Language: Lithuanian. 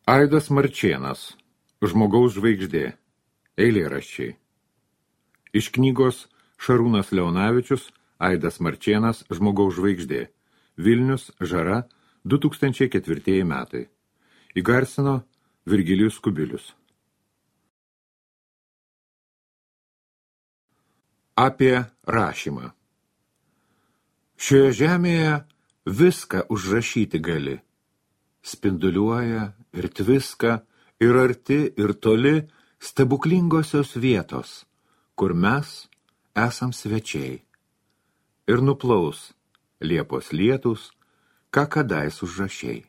Aidas Marčėnas, Žmogaus žvaigždė, eilėraščiai. Iš knygos Šarūnas Leonavičius, Aidas Marčėnas, Žmogaus žvaigždė, Vilnius, Žara, 2004 metai. Įgarsino Virgilijus Kubilius. Apie rašymą. Šioje žemėje viską užrašyti gali. Spinduliuoja ir tviska, ir arti, ir toli stebuklingosios vietos, kur mes esam svečiai. Ir nuplaus Liepos lietus, ką kadais užrašei.